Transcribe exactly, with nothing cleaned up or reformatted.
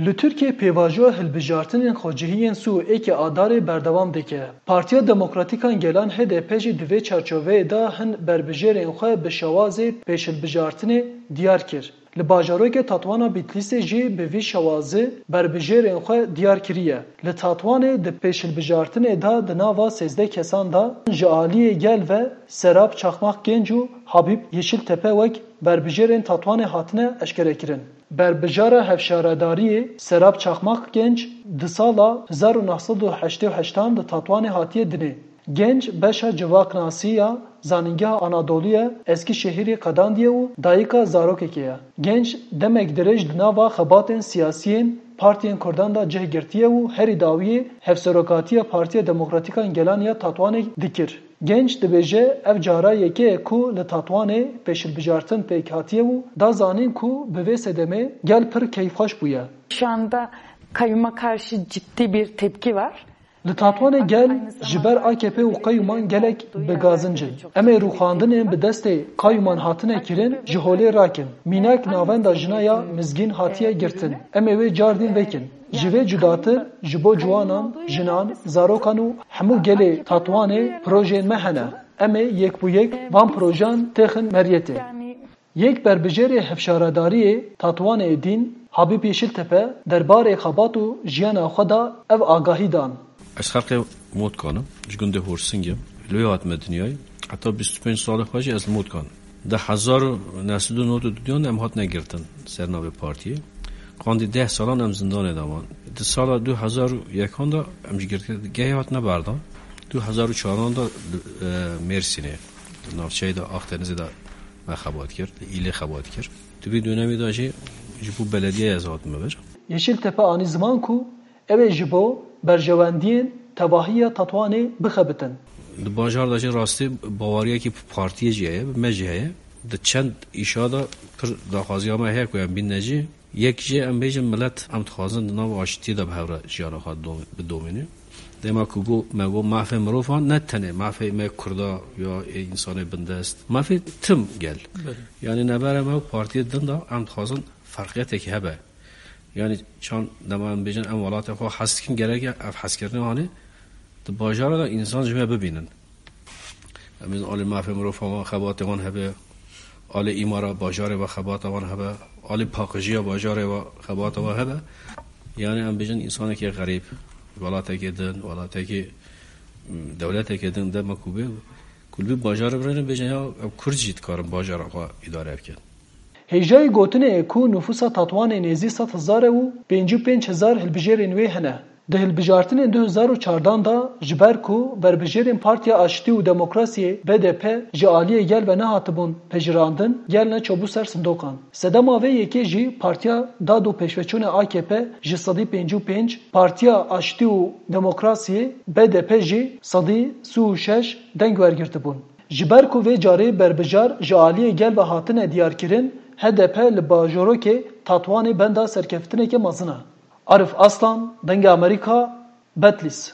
Li Tirkiyê pêvajoya hilbijartinên xwecihî yên sî û yekê Adarê berdewam dike. Partiya Demokratîk a Gelan H D P jî di vê çarçoveyê de hin berbijêrên xwe bi şewazê pêşhilbijartinê diyar kir. Li bajarokê Tatwana Bîtlîsê jî bi vî şewazî berbijêrên xwe diyar kiriye. Li Tatwanê di pêşhilbijartinê de di nava sêzdeh kesan de ji aliyê gel ve Serap Çakmak Genc û Habîb Yeşiltepe wek berbijêrên Tatwanê hatine eşkerekirin. Berbijara hevşaredariyê Serap Çakmak Genc di sala hezar û neh sed û heştê û heştan di Tatwanê hatiye dinê. Genc beşa civaknasî ya Zanîngeha Anadolû ya Eskişehîrê qedandiye û dayika zarokekê ye. Genc demek dirêj di nava xebatên siyasî yên partiyên Kurdan de cih girtiye û herî dawiyê hevserokatiya Partiya Demokratîk a Gelan ya Tatwanê dikir. Genc dibêje, ev cara yekê ye ku li Tatwanê pêşilbijartin pêk hatiye û da zanîn ku bi vê sedemê gel pir keyfxweş bûye. Şu anda kayyuma karşı ciddi bir tepki var. Li Tatwanê gel ji ber A K P û qeyûman gelek bi gazinc in. Em ê rûxandinên bi destê qeyûman hatine kirin ji holê rakin. Mînak navenda jina ya Mizgîn hatiye girtin. Em ê wê cardîn vekin. Ji vê cudatir ji bo ciwanan, jinan, zarokan û hemû gelê Tatwanê projeyên me hene. Em ê yek bi yek van projeyan têxin meriyetê. Yek berbijêrê hevşaredariyê Tatwanê Dîn, Habîb Yeşiltepe, derbarê xebat û jiyana xwe de ev agahî dan. Ez xelkê Motkan im, ji gundê Horsingê. Li wê hatime dinyayê. Heta bîst û pênc salê xwe jî ez li Motkan. Di hezar û neh sed û nod û duyan de em hatine girtin ser navê partiyê. Qandî deh salan em zindanê de man. Di sala du hezar û yekan de em ji girtgehê hatine berdan. Du hezar û çaran de li e, Mêrsînê, navçeyê de Akdenizê de me xebat kir, li Îlê xebat kir. Di vî dönemê de jî ji bo belediyeyê ez hatime vir. Yeşiltepe anî ziman ku ew ê ji bo berjewendiyên tevahiya Tetwanê bixebitin. Di bajar de jî rastî baweriyekî bi partiyê jî heye, bi me jî heye. Di çend îşa de pir daxwaziya me heye ku em bîne jî. Yek jê em bêjin milet em dixwazin di nav aştiyê de bi hev re jiyana xwe dom- bidomîne. Dema ku got me got mafê mirovan ne tenê mafê me kurda ya ê însanê bindest, mafê tim gel. Yanî nebere me û partiyê din de em dixwazin ferqiyeteke hebe. Yanî çand dema em bêjin em welatê xwe hez dikin gerek ev hezkirinê hanê di bajara de însan ji me bibînin. Em ê alî mafê mirovan xebatê wan hebe, alî îmara bajarê ve xebata wan hebe, alî paqijiya bajarê ve xebata wan hebe. Yanî em bêjin însanekî xerîb, welatekî din, welatekî dewletekî din dema ku bê, ku li vî bajarê birêne bêjin ya ev kurd jî dikarin bajara xwe îdare bikin. Hêjayî gotinê ye ku nifûsa Tatwanê nêzî sed hezar e û pêncî û pênc hezar hilbijêrên wê hene. Di hilbijartinên du hezar û çardan de ji ber ku berbijêrên Partiya Aştî û Demokrasiyê, B D P, ji aliyê gel ve nehatibûn pejirandin, gel neçobû ser sindoqan. Sedema vê yekê jî Partiya Dad û Pêşveçûnê A K P ji sedî pêncî û pênc, Partiya Aştî û Demokrasiyê, B D P, jî sedî sî û şeş deng wergirtibûn. Ji ber ku vê carê berbijar ji aliyê gel ve hatine diyarkirin, H D P li bajorokê Tatwanê benda serkeftineke mezin e. Arif Aslan, Dengê Amerîka, Betlîs.